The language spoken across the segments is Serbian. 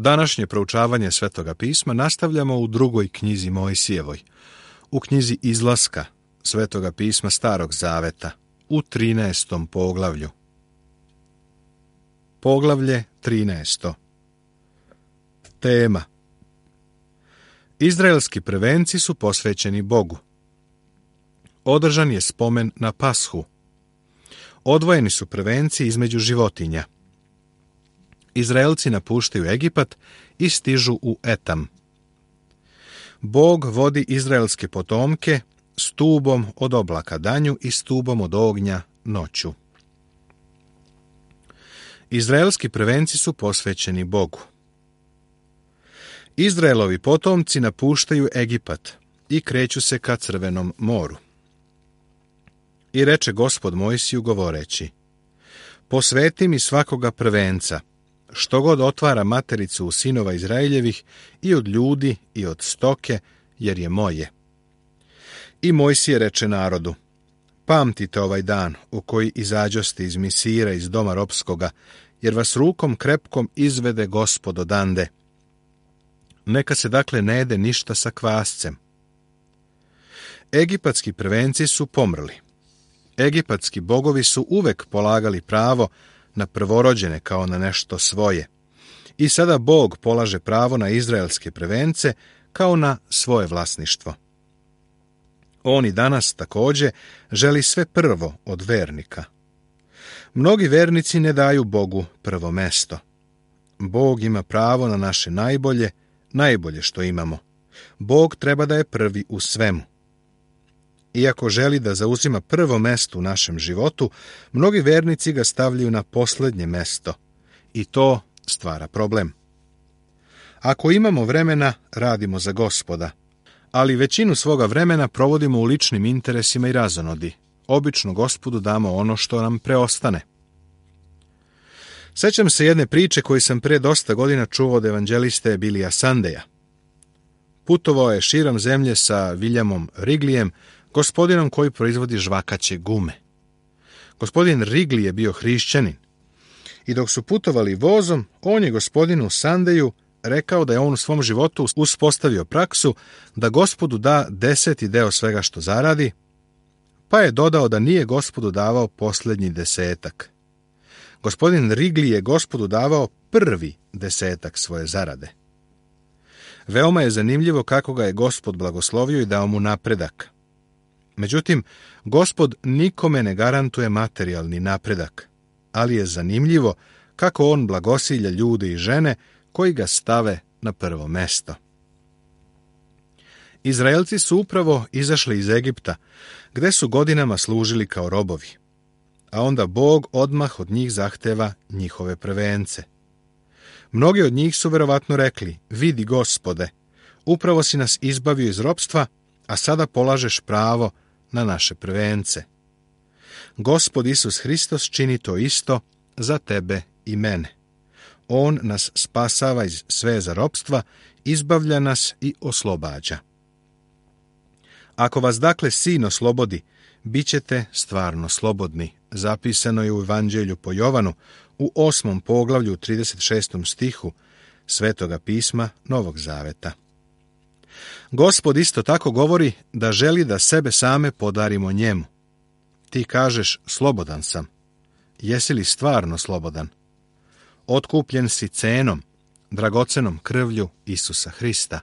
Današnje proučavanje Svetoga pisma nastavljamo u drugoj knjizi Mojsijevoj, u knjizi Izlaska Svetoga pisma Starog Zaveta, u 13. poglavlju. Poglavlje 13. Tema: Izraelski prvenci su posvećeni Bogu. Održan je spomen na Pashu. Odvojeni su prvenci između životinja. Izraelci napuštaju Egipat i stižu u Etam. Bog vodi izraelske potomke stubom od oblaka danju i stubom od ognja noću. Izraelski prvenci su posvećeni Bogu. Izraelovi potomci napuštaju Egipat i kreću se ka Crvenom moru. I reče Gospod Mojsiju govoreći: Posveti mi svakoga prvenca, što god otvara matericu u sinova Izraeljevih, i od ljudi i od stoke, jer je moje. I Mojsije reče narodu: Pamtite ovaj dan u koji izađoste iz Misira, iz doma ropskoga, jer vas rukom krepkom izvede Gospod odande. Neka se dakle ne jede ništa sa kvascem. Egipatski prvenci su pomrli. Egipatski bogovi su uvek polagali pravo na prvorođene kao na nešto svoje. I sada Bog polaže pravo na izraelske prvence kao na svoje vlasništvo. On i danas također želi sve prvo od vernika. Mnogi vernici ne daju Bogu prvo mesto. Bog ima pravo na naše najbolje što imamo. Bog treba da je prvi u svemu. Iako želi da zauzima prvo mesto u našem životu, mnogi vernici ga stavljaju na posljednje mesto i to stvara problem. Ako imamo vremena, radimo za Gospoda, ali većinu svoga vremena provodimo u ličnim interesima i razonodi. Obično Gospodu damo ono što nam preostane. Sećam se jedne priče koju sam pre dosta godina čuo od evanđeliste Billija Sundeja. Putovao je širom zemlje sa Williamom Wrigleyem, gospodinom koji proizvodi žvakaće gume. Gospodin Wrigley je bio hrišćanin i dok su putovali vozom, on je gospodinu Sundeju rekao da je on u svom životu uspostavio praksu da Gospodu da 10. deo svega što zaradi, pa je dodao da nije Gospodu davao posljednji 10. Gospodin Wrigley je Gospodu davao prvi 10 svoje zarade. Veoma je zanimljivo kako ga je Gospod blagoslovio i dao mu napredak. Međutim, Gospod nikome ne garantuje materijalni napredak, ali je zanimljivo kako on blagosilja ljude i žene koji ga stave na prvo mesto. Izraelci su upravo izašli iz Egipta, gde su godinama služili kao robovi, a onda Bog odmah od njih zahteva njihove prvence. Mnogi od njih su verovatno rekli: Vidi, Gospode, upravo si nas izbavio iz ropstva, a sada polažeš pravo na naše prvence. Gospod Isus Hristos čini to isto za tebe i mene. On nas spasava iz sveza ropstva, izbavlja nas i oslobađa. Ako vas dakle Sin oslobodi, bit ćete stvarno slobodni. Zapisano je u Evanđelju po Jovanu u 8. poglavlju 36. stihu Svetoga pisma Novog Zaveta. Gospod isto tako govori da želi da sebe same podarimo njemu. Ti kažeš: slobodan sam. Jesi li stvarno slobodan? Otkupljen si cenom, dragocenom krvlju Isusa Hrista.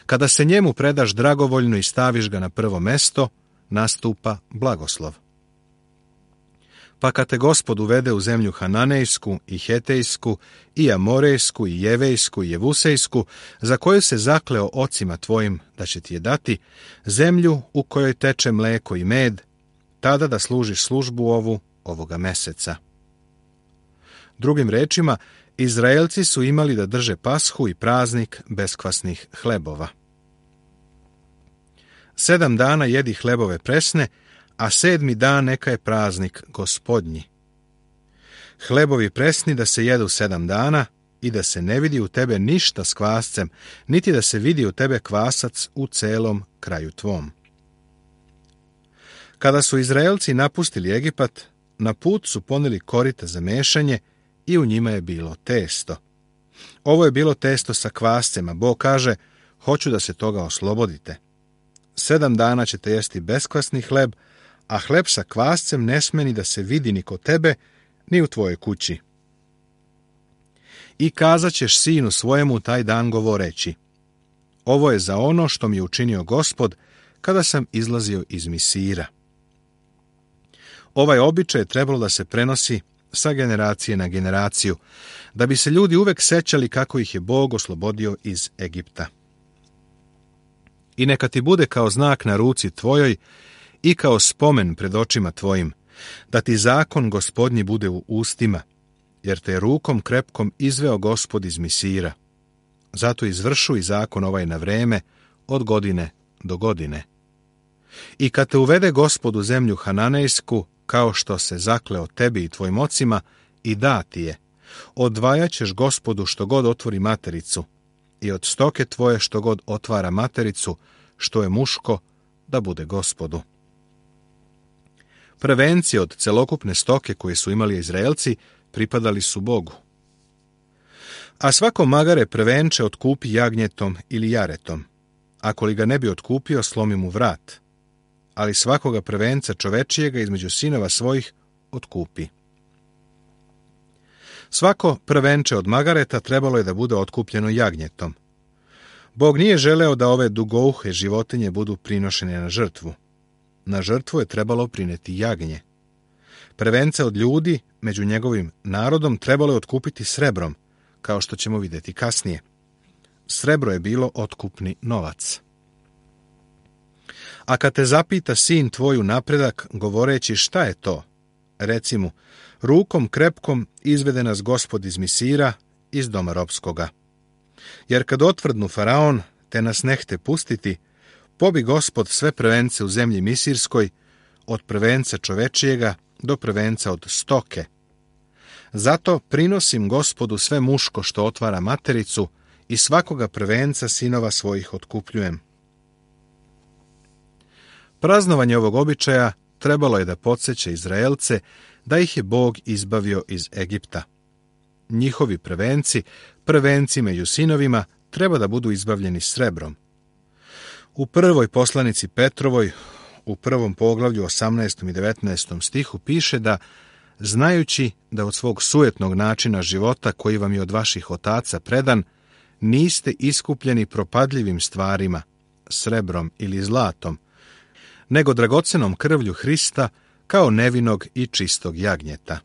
Kada se njemu predaš dragovoljno i staviš ga na prvo mesto, nastupa blagoslov. Pa kad te Gospod uvede u zemlju Hananejsku i Hetejsku i Amorejsku i Jevejsku i Jevusejsku, za koju se zakleo ocima tvojim da će ti je dati, zemlju u kojoj teče mleko i med, tada da služiš službu ovoga meseca. Drugim rečima, Izraelci su imali da drže Pashu i praznik beskvasnih hlebova. 7 dana jedi hlebove presne, a 7. dan neka je praznik Gospodnji. Hlebovi presni da se jedu 7 dana i da se ne vidi u tebe ništa s kvascem, niti da se vidi u tebe kvasac u celom kraju tvom. Kada su Izraelci napustili Egipat, na put su poneli korita za mešanje i u njima je bilo testo. Ovo je bilo testo sa kvascem, a Bog kaže, hoću da se toga oslobodite. 7 dana ćete jesti beskvasni hleb, a hleb sa kvascem ne sme ni da se vidi ni kod tebe, ni u tvojoj kući. I kazat ćeš sinu svojemu taj dan govoreći, ovo je za ono što mi je učinio Gospod kada sam izlazio iz Misira. Ovaj običaj je trebalo da se prenosi sa generacije na generaciju, da bi se ljudi uvek sećali kako ih je Bog oslobodio iz Egipta. I neka ti bude kao znak na ruci tvojoj i kao spomen pred očima tvojim, da ti zakon Gospodnji bude u ustima, jer te je rukom krepkom izveo Gospod iz Misira. Zato izvršuj zakon ovaj na vreme, od godine do godine. I kad te uvede Gospod u zemlju Hananejsku, kao što se zakleo tebi i tvojim ocima, i da ti je, odvajat ćeš Gospodu što god otvori matericu, i od stoke tvoje što god otvara matericu, što je muško, da bude Gospodu. Prvenci od celokupne stoke koje su imali Izraelci pripadali su Bogu. A svako magare prvenče otkupi jagnjetom ili jaretom. Ako li ga ne bi otkupio, slomi mu vrat. Ali svakoga prvenca čovečijega između sinova svojih otkupi. Svako prvenče od magareta trebalo je da bude otkupljeno jagnjetom. Bog nije želeo da ove dugouhe životinje budu prinošene na žrtvu. Na žrtvu je trebalo prineti jagnje. Prvenca od ljudi među njegovim narodom trebalo je otkupiti srebrom, kao što ćemo vidjeti kasnije. Srebro je bilo otkupni novac. A kad te zapita sin tvoju napredak, govoreći šta je to, reci mu, rukom krepkom izvede nas Gospod iz Misira, iz doma ropskoga. Jer kad otvrdnu Faraon, te nas nehte pustiti, pobi Gospod sve prvence u zemlji Misirskoj, od prvenca čovečijega do prvenca od stoke. Zato prinosim Gospodu sve muško što otvara matericu i svakoga prvenca sinova svojih otkupljujem. Praznovanje ovog običaja trebalo je da podsjeća Izraelce da ih je Bog izbavio iz Egipta. Njihovi prvenci među sinovima, treba da budu izbavljeni srebrom. U prvoj poslanici Petrovoj, u 1. poglavlju 18. i 19. stihu piše da, znajući da od svog sujetnog načina života koji vam je od vaših otaca predan, niste iskupljeni propadljivim stvarima, srebrom ili zlatom, nego dragocenom krvlju Hrista kao nevinog i čistog jagnjeta.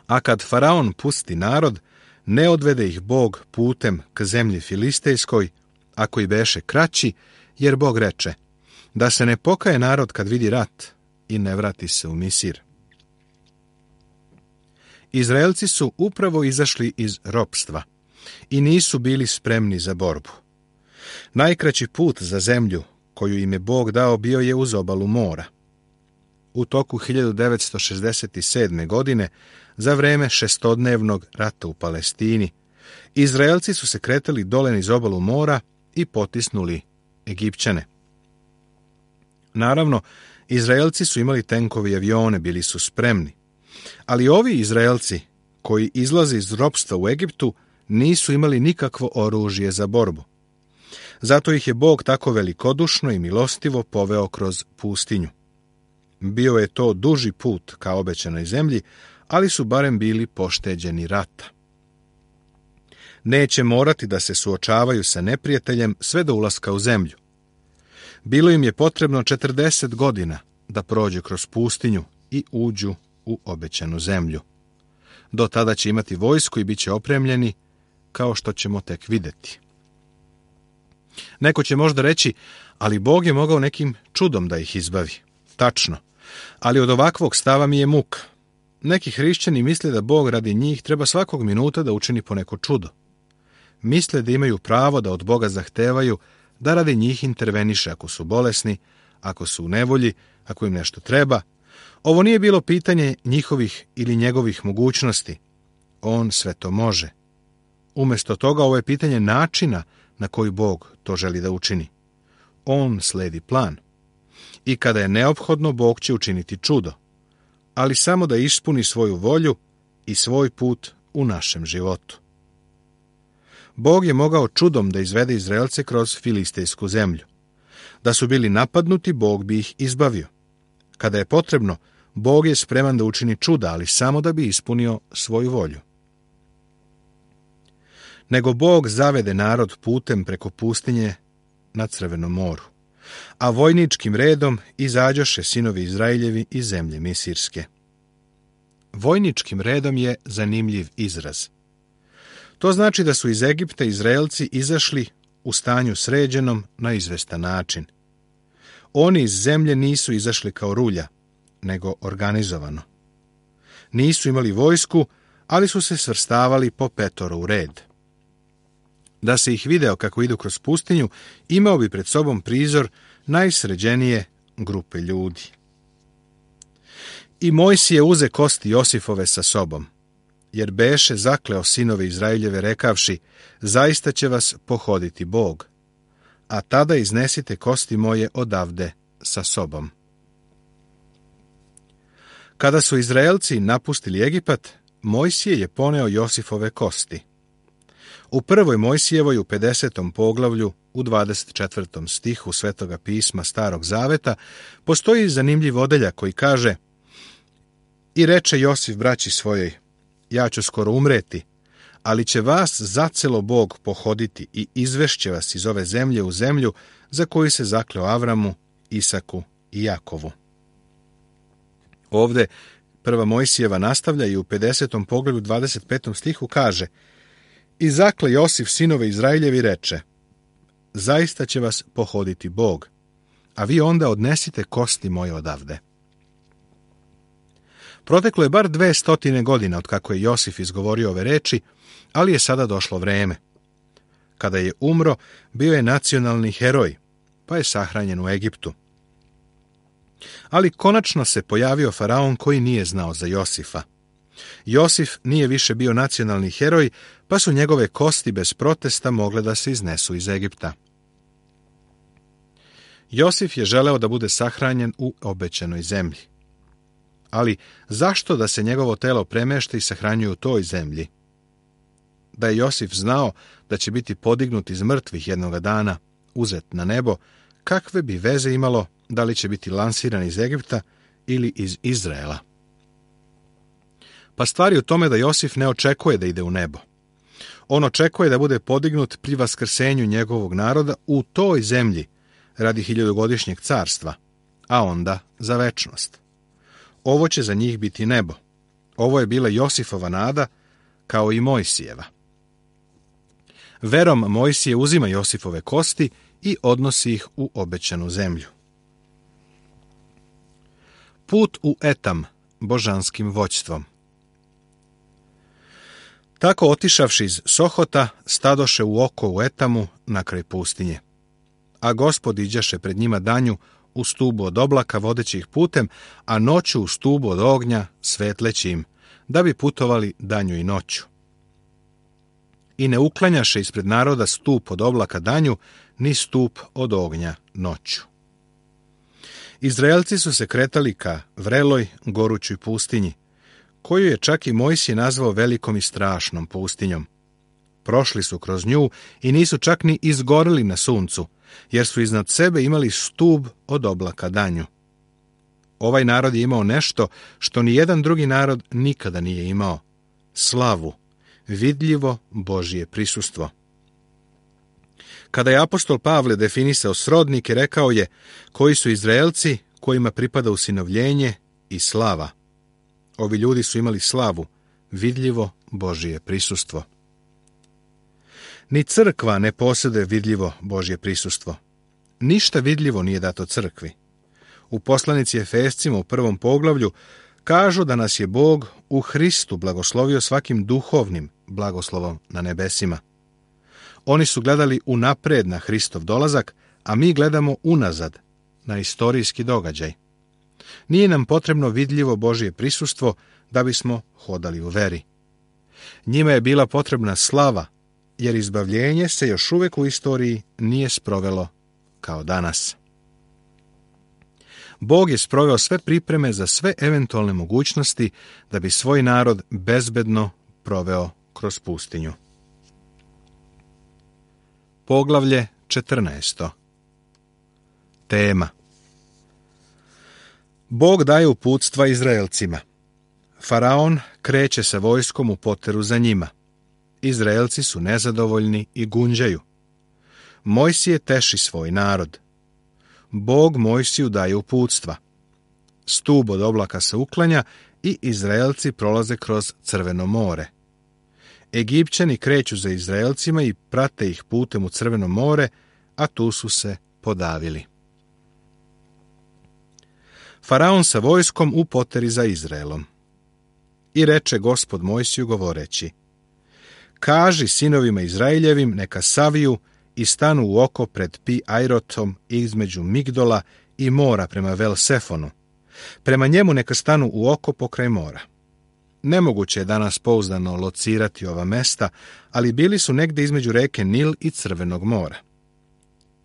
A kad Faraon pusti narod, ne odvede ih Bog putem k zemlji Filistejskoj, ako i beše kraći, jer Bog reče, da se ne pokaje narod kad vidi rat i ne vrati se u Misir. Izraelci su upravo izašli iz ropstva i nisu bili spremni za borbu. Najkraći put za zemlju koju im je Bog dao bio je uz obalu mora. U toku 1967. godine, za vreme šestodnevnog rata u Palestini, Izraelci su se kretali dole niz obalu mora i potisnuli Egipćane. Naravno, Izraelci su imali tenkove i avione, bili su spremni. Ali ovi Izraelci, koji izlaze iz ropstva u Egiptu, nisu imali nikakvo oružje za borbu. Zato ih je Bog tako velikodušno i milostivo poveo kroz pustinju. Bio je to duži put ka obećanoj zemlji, ali su barem bili pošteđeni rata. Neće morati da se suočavaju sa neprijateljem sve do ulaska u zemlju. Bilo im je potrebno 40 godina da prođu kroz pustinju i uđu u obećanu zemlju. Do tada će imati vojsku i bit će opremljeni, kao što ćemo tek vidjeti. Neko će možda reći, ali Bog je mogao nekim čudom da ih izbavi. Tačno, ali od ovakvog stava mi je muka. Neki hrišćani misle da Bog radi njih treba svakog minuta da učini po neko čudo. Misle da imaju pravo da od Boga zahtevaju da radi njih interveniše ako su bolesni, ako su u nevolji, ako im nešto treba. Ovo nije bilo pitanje njihovih ili njegovih mogućnosti. On sve to može. Umjesto toga ovo je pitanje načina na koji Bog to želi da učini. On sledi plan. I kada je neophodno, Bog će učiniti čudo, ali samo da ispuni svoju volju i svoj put u našem životu. Bog je mogao čudom da izvede Izraelce kroz filistejsku zemlju. Da su bili napadnuti, Bog bi ih izbavio. Kada je potrebno, Bog je spreman da učini čuda, ali samo da bi ispunio svoju volju. Nego Bog zavede narod putem preko pustinje na Crvenom moru, a vojničkim redom izađoše sinovi Izraeljevi iz zemlje Misirske. Vojničkim redom je zanimljiv izraz. To znači da su iz Egipta Izraelci izašli u stanju sređenom na izvestan način. Oni iz zemlje nisu izašli kao rulja, nego organizovano. Nisu imali vojsku, ali su se svrstavali po petoro u red. Da se ih video kako idu kroz pustinju, imao bi pred sobom prizor najsređenije grupe ljudi. I Mojsije uze kosti Josifove sa sobom, jer beše zakleo sinove Izraeljeve rekavši, zaista će vas pohoditi Bog, a tada iznesite kosti moje odavde sa sobom. Kada su Izraelci napustili Egipat, Mojsije je poneo Josifove kosti. U prvoj Mojsijevoj u 50. poglavlju u 24. stihu Svetoga pisma Starog zaveta postoji zanimljiv odeljak koji kaže: I reče Josif braći svojoj, ja ću skoro umreti, ali će vas zacelo Bog pohoditi i izvešće vas iz ove zemlje u zemlju za koju se zakleo Avramu, Isaku i Jakovu. Ovde prva Mojsijeva nastavlja i u 50. poglavlju 25. stihu kaže: I zakle Josif sinove Izraeljevi reče, zaista će vas pohoditi Bog, a vi onda odnesite kosti moje odavde. Proteklo je bar 200 godina od kako je Josif izgovorio ove reči, ali je sada došlo vreme. Kada je umro, bio je nacionalni heroj, pa je sahranjen u Egiptu. Ali konačno se pojavio faraon koji nije znao za Josifa. Josif nije više bio nacionalni heroj, pa su njegove kosti bez protesta mogle da se iznesu iz Egipta. Josif je želeo da bude sahranjen u obećanoj zemlji. Ali zašto da se njegovo telo premešta i sahranjuje u toj zemlji? Da je Josif znao da će biti podignut iz mrtvih jednoga dana, uzet na nebo, kakve bi veze imalo da li će biti lansiran iz Egipta ili iz Izraela? Pa stvar je u tome da Josif ne očekuje da ide u nebo. On očekuje da bude podignut pri vaskrsenju njegovog naroda u toj zemlji radi 1000-godišnjeg carstva, a onda za večnost. Ovo će za njih biti nebo. Ovo je bila Josifova nada, kao i Mojsijeva. Verom Mojsije uzima Josifove kosti i odnosi ih u obećanu zemlju. Put u Etam božanskim vođstvom. Tako otišavši iz Sohota, stadoše u oko u Etamu na kraj pustinje. A Gospod iđaše pred njima danju u stubu od oblaka vodeći ih putem, a noću u stubu od ognja svetleći im, da bi putovali danju i noću. I ne uklanjaše ispred naroda stup od oblaka danju, ni stup od ognja noću. Izraelci su se kretali ka vreloj, gorućoj pustinji, koju je čak i Mojsije nazvao velikom i strašnom pustinjom. Prošli su kroz nju i nisu čak ni izgorili na suncu, jer su iznad sebe imali stub od oblaka danju. Ovaj narod je imao nešto što ni jedan drugi narod nikada nije imao: slavu, vidljivo Božje prisustvo. Kada je apostol Pavle definisao srodnike, rekao je: koji su Izraelci kojima pripada usinovljenje i slava. Ovi ljudi su imali slavu, vidljivo Božje prisustvo. Ni crkva ne posjeduje vidljivo Božje prisustvo. Ništa vidljivo nije dato crkvi. U poslanici Efescima u 1. poglavlju kažu da nas je Bog u Hristu blagoslovio svakim duhovnim blagoslovom na nebesima. Oni su gledali unapred na Hristov dolazak, a mi gledamo unazad na istorijski događaj. Nije nam potrebno vidljivo Božje prisustvo da bismo hodali u veri. Njima je bila potrebna slava, jer izbavljenje se još uvijek u istoriji nije sprovelo kao danas. Bog je sproveo sve pripreme za sve eventualne mogućnosti da bi svoj narod bezbedno proveo kroz pustinju. Poglavlje 14. Tema: Bog daje uputstva Izraelcima. Faraon kreće sa vojskom u poteru za njima. Izraelci su nezadovoljni i gunđaju. Mojsije teši svoj narod. Bog Mojsiju daje uputstva. Stub od oblaka se uklanja i Izraelci prolaze kroz Crveno more. Egipćani kreću za Izraelcima i prate ih putem u Crveno more, a tu su se podavili. Faraon sa vojskom u poteri za Izraelom. I reče Gospod Mojsiju govoreći: Kaži sinovima Izraeljevim neka saviju i stanu u oko pred Pi-Ajrotom između Migdola i mora prema Vel-Sefonu. Prema njemu neka stanu u oko pokraj mora. Nemoguće je danas pouzdano locirati ova mesta, ali bili su negde između reke Nil i Crvenog mora.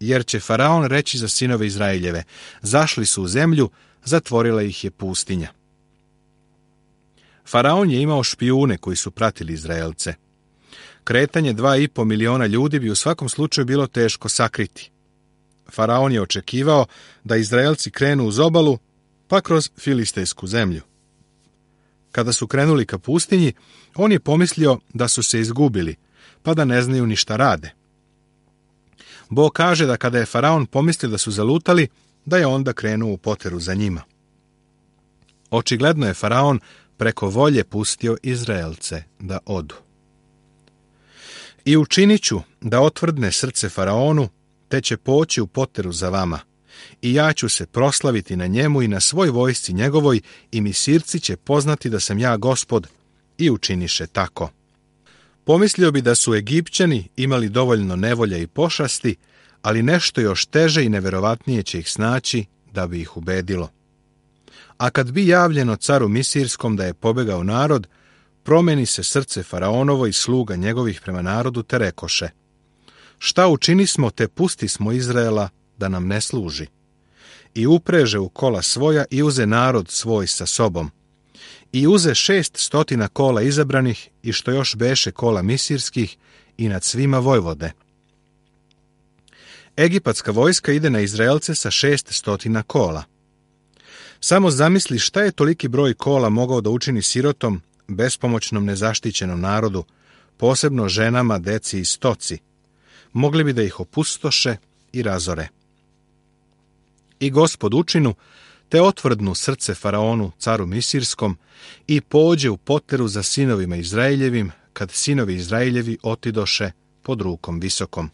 Jer će Faraon reći za sinove Izraeljeve: zašli su u zemlju, zatvorila ih je pustinja. Faraon je imao špijune koji su pratili Izraelce. Kretanje 2,5 miliona ljudi bi u svakom slučaju bilo teško sakriti. Faraon je očekivao da Izraelci krenu uz obalu, pa kroz filistejsku zemlju. Kada su krenuli ka pustinji, on je pomislio da su se izgubili, pa da ne znaju ni šta rade. Bog kaže da kada je Faraon pomislio da su zalutali, da je onda krenuo u poteru za njima. Očigledno je Faraon preko volje pustio Izraelce da odu. I učinit ću da otvrdne srce Faraonu, te će poći u poteru za vama, i ja ću se proslaviti na njemu i na svoj vojsci njegovoj, i Misirci će poznati da sam ja Gospod, i učiniše tako. Pomislio bi da su Egipćani imali dovoljno nevolja i pošasti, ali nešto još teže i neverovatnije će ih snaći da bi ih ubedilo. A kad bi javljeno caru Misirskom da je pobegao narod, promeni se srce Faraonovo i sluga njegovih prema narodu, te rekoše: šta učinismo, te pustismo Izraela da nam ne služi? I upreže u kola svoja i uze narod svoj sa sobom. I uze 600 kola izabranih i što još beše kola misirskih i nad svima vojvode. Egipatska vojska ide na Izraelce sa 600 kola. Samo zamisli šta je toliki broj kola mogao da učini sirotom, bespomoćnom, nezaštićenom narodu, posebno ženama, deci i stoci. Mogli bi da ih opustoše i razore. I Gospod učinu, te otvrdnu srce Faraonu, caru Misirskom, i pođe u poteru za sinovima Izraeljevim, kad sinovi Izraeljevi otidoše pod rukom visokom.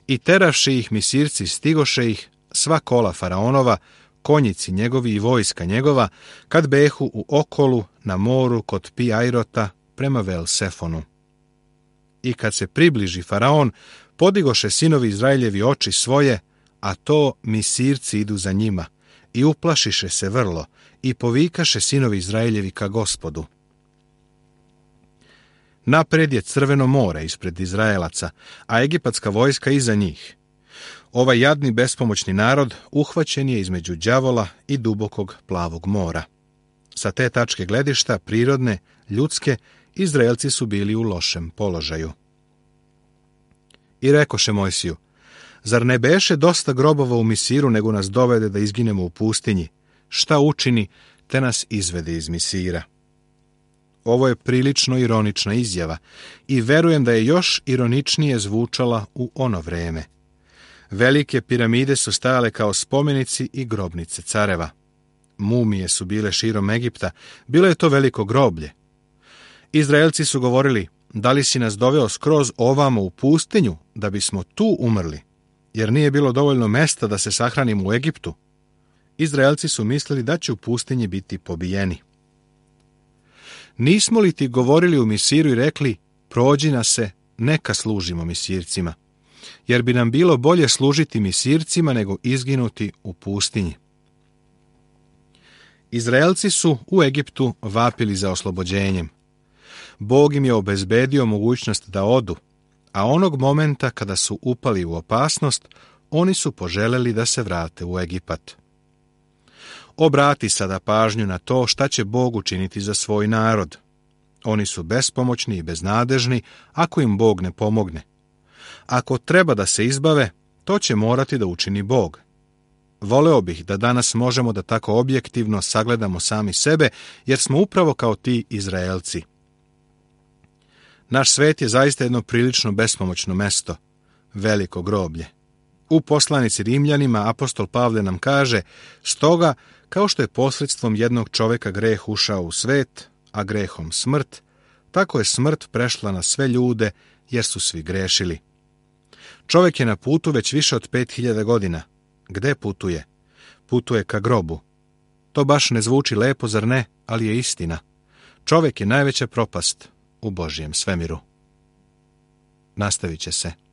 I teravši ih Misirci, stigoše ih, sva kola Faraonova, konjici njegovi i vojska njegova, kad behu u okolu na moru kod Pi-Ajrota prema Vel-Sefonu. I kad se približi Faraon, podigoše sinovi Izraeljevi oči svoje, a to Misirci idu za njima, i uplašiše se vrlo, i povikaše sinovi Izraeljevi ka Gospodu. Napred je Crveno more ispred Izraelaca, a egipatska vojska iza njih. Ovaj jadni bespomoćni narod uhvaćen je između đavola i dubokog plavog mora. Sa te tačke gledišta, prirodne, ljudske, Izraelci su bili u lošem položaju. I rekoše Mojsiju: zar ne beše dosta grobova u Misiru, nego nas dovede da izginemo u pustinji? Šta učini, te nas izvede iz Misira? Ovo je prilično ironična izjava i verujem da je još ironičnije zvučala u ono vreme. Velike piramide su stajale kao spomenici i grobnice careva. Mumije su bile širom Egipta, bilo je to veliko groblje. Izraelci su govorili: da li si nas doveo skroz ovamo u pustinju, da bismo tu umrli, jer nije bilo dovoljno mesta da se sahranimo u Egiptu? Izraelci su mislili da će u pustinji biti pobijeni. Nismo li ti govorili u Misiru i rekli: prođi nas se, neka služimo Misircima, jer bi nam bilo bolje služiti Misircima nego izginuti u pustinji. Izraelci su u Egiptu vapili za oslobođenjem. Bog im je obezbedio mogućnost da odu, a onog momenta kada su upali u opasnost, oni su poželeli da se vrate u Egipat. Obrati sada pažnju na to šta će Bog učiniti za svoj narod. Oni su bespomoćni i beznadežni ako im Bog ne pomogne. Ako treba da se izbave, to će morati da učini Bog. Voleo bih da danas možemo da tako objektivno sagledamo sami sebe, jer smo upravo kao ti Izraelci. Naš svet je zaista jedno prilično bespomoćno mesto, veliko groblje. U poslanici Rimljanima apostol Pavle nam kaže: stoga, kao što je posredstvom jednog čoveka greh ušao u svet, a grehom smrt, tako je smrt prešla na sve ljude, jer su svi grešili. Čovjek je na putu već više od 5000 godina. Gde putuje? Putuje ka grobu. To baš ne zvuči lepo, zar ne? Ali je istina. Čovjek je najveća propast u Božjem svemiru. Nastavit će se.